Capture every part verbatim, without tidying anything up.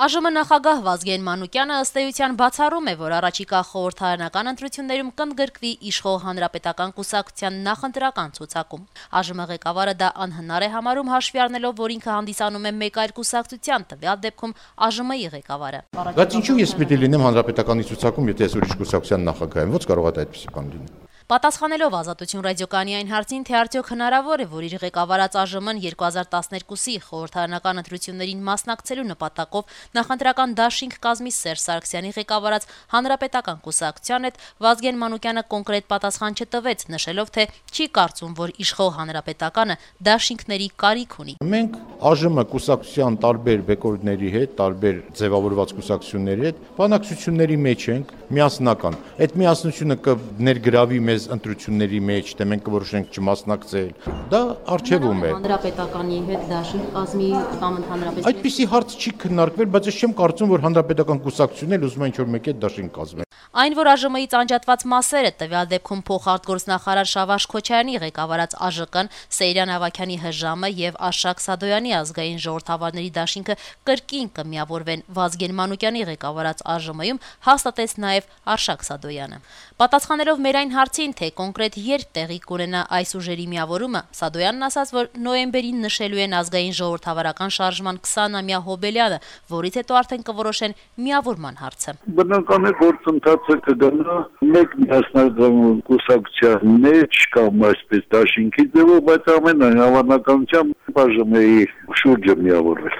Ա Ժ Մ նախագահ Վազգեն Մանուկյանը ըստ էության բացառում է, որ առաջիկա խորհրդարանական ընտրություններում կընդգրկվի իշխող Հանրապետական կուսակցության նախընտրական ցուցակում։ Ա Ժ Մ ղեկավարը դա անհնար է համարում, հաշվի առնելով, որ ինքը հանդիսանում է մեկ այլ կուսակցության, տվյալ դեպքում Ա Ժ Մ-ի ղեկավարը։ Բայց ինչու ես պիտի լինեմ Հանրապետականի ցուցակում, եթե ես ուրիշ կուսակցության նախագահ եմ, ո՞նց կարող է այդպիսի բան լինել։ Պատասխանելով Ազատություն ռադիոկայանի այն հարցին, թե արդյոք հնարավոր է, որ իր ղեկավարած Ա Ժ Մ-ն երկու հազար տասներկուսի խորհրդարանական ընտրություններին մասնակցելու նպատակով նախընտրական դաշինք կազմի Սերժ Սարգսյանի ղեկավարած Հանրապետական կուսակցության հետ, Վազգեն Մանուկյանը կոնկրետ պատասխան չտվեց, նշելով, թե չի կարծում, որ իշխող Հանրապետականը դաշինքների կարիք ունի։ Մենք Ա Ժ Մ կուսակցության տարբեր բեկորների հետ, տարբեր ձևավորված կուսակցությունների հետ բանակցությունների մեջ ենք, միասնական։ Այդ միասնությունը կներգրավի մեզ ընտրությունների մեջ, թե մենք կորոշենք չմասնակցել, դա արժևում է։ Հանրապետականի հետ դաշինք կազմի կամ ընդհանրապես Այդպիսի հարց չի քննարկվել, բայց ես չեմ կարծում, որ Հանրապետական կուսակցությունն էլ ուզում է ինչ-որ մեկի հետ դաշինք կազմել։ Այն, որ Ա Ժ Մ-ից անջատված մասերը, տվյալ դեպքում փոխարտգործնախարար Շավարժ Քոչարյանի ղեկավարած Ա Ժ Կ-ն, Սեյրան Ավագյանի Հ Ժ Մ եւ Արշակ Սադոյանի ազգային ժողովրդավարների դաշինքը կրկին կմիավորվեն Վազգեն Մանուկյանի ղեկավարած Ա Ժ Մ-ում, հաստատեց նաեւ Արշակ Սադոյանը։ Պատասխանելով մեր այն հարցին, թե կոնկրետ երբ տեղի կունենա այս ուժերի միավորումը, Սադոյանն ասաց, որ նոյեմբերին նշելու են ազգային ժողովրդավարական շարժման քսանամյա հոբելյանը, որից հետո արդեն կորոշեն միավորման հարցը։ Բնական է գործընթացը կգնա մեկ միասնական կուսակցության մեջ կամ այսպես դաշինքի ձևով, բայց ամենայն հավանականությամբ Ա Ժ Մ-ի շուրջը միավորվել։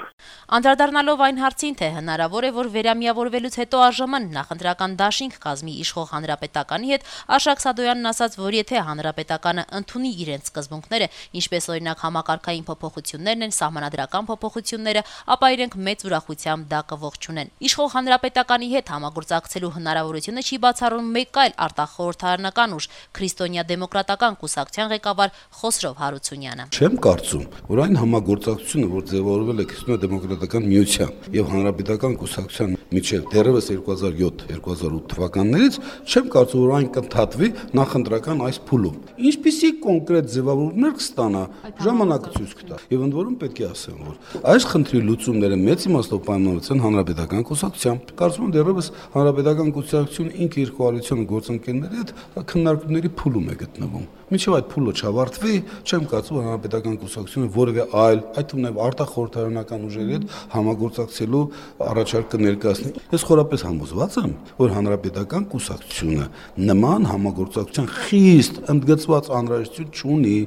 Անդրադառնալով այն հարցին, թե հնարավոր է, որ վերամիավորվելուց հետո Ա Ժ Մ-ն նախընտրական դաշինք կազմի իշխող Հանրապետականի հետ, Արշակ Սադոյանն ասաց, որ եթե Հանրապետականը ընդունի իրենց սկզբունքները, ինչպես օրինակ համակարգային փոփոխություններն են, սահմանադրական փոփոխությունները, ապա իրենք մեծ ուրախությամբ դա կողջունեն։ Իշխող Հանրապետականի հետ համագործակցելու հնարավորությունը չի բացառում մեկ այլ արտախորհրդարանական ուժ՝ Քրիստոնյա դեմոկրատական կուսակցության ղեկավար Խոսրով Հարությունյանը։ Չեմ կարծում, որ այն համագործակցությունը, որ ձևավորվել է Քրիստոնյա դեմոկրատական միության եւ Հանրապետական կուսակցության միջև դեռևս երկու հազար յոթ երկու հազար ութ թվականներից, չեմ կարծում, որ այն կընդհատվի նախընտրական այս փուլում։ Ինչպիսի կոնկրետ ձևավորումներ կստանա, ժամանակը ցույց կտա։ Եվ ընդ որում պետք է ասեմ, որ այս խնդրի լուծումները մեծ իմաստով պայմանավորված են Հանրապետական կուսակցությամբ։ Կարծում եմ դեռևս Հանրապետական կուսակցությունը ինքը իր կոալիցիոն գործընկերների հետ քննարկումների փուլում է գտնվում։ Մինչև այդ փուլը չավարտվի, չեմ կարծում, որ Հանրապետական կուսակցությունը որևէ այլ, այդ թվում նաև արտախորհրդարանական ուժերի հետ համագործակցելու առաջարկ կներկայացնի։ Ես խորապես համոզված եմ, որ Հանրապետական կուսակցությունը նման համագործակցության խիստ ընդգծված անհրաժեշտություն չունի։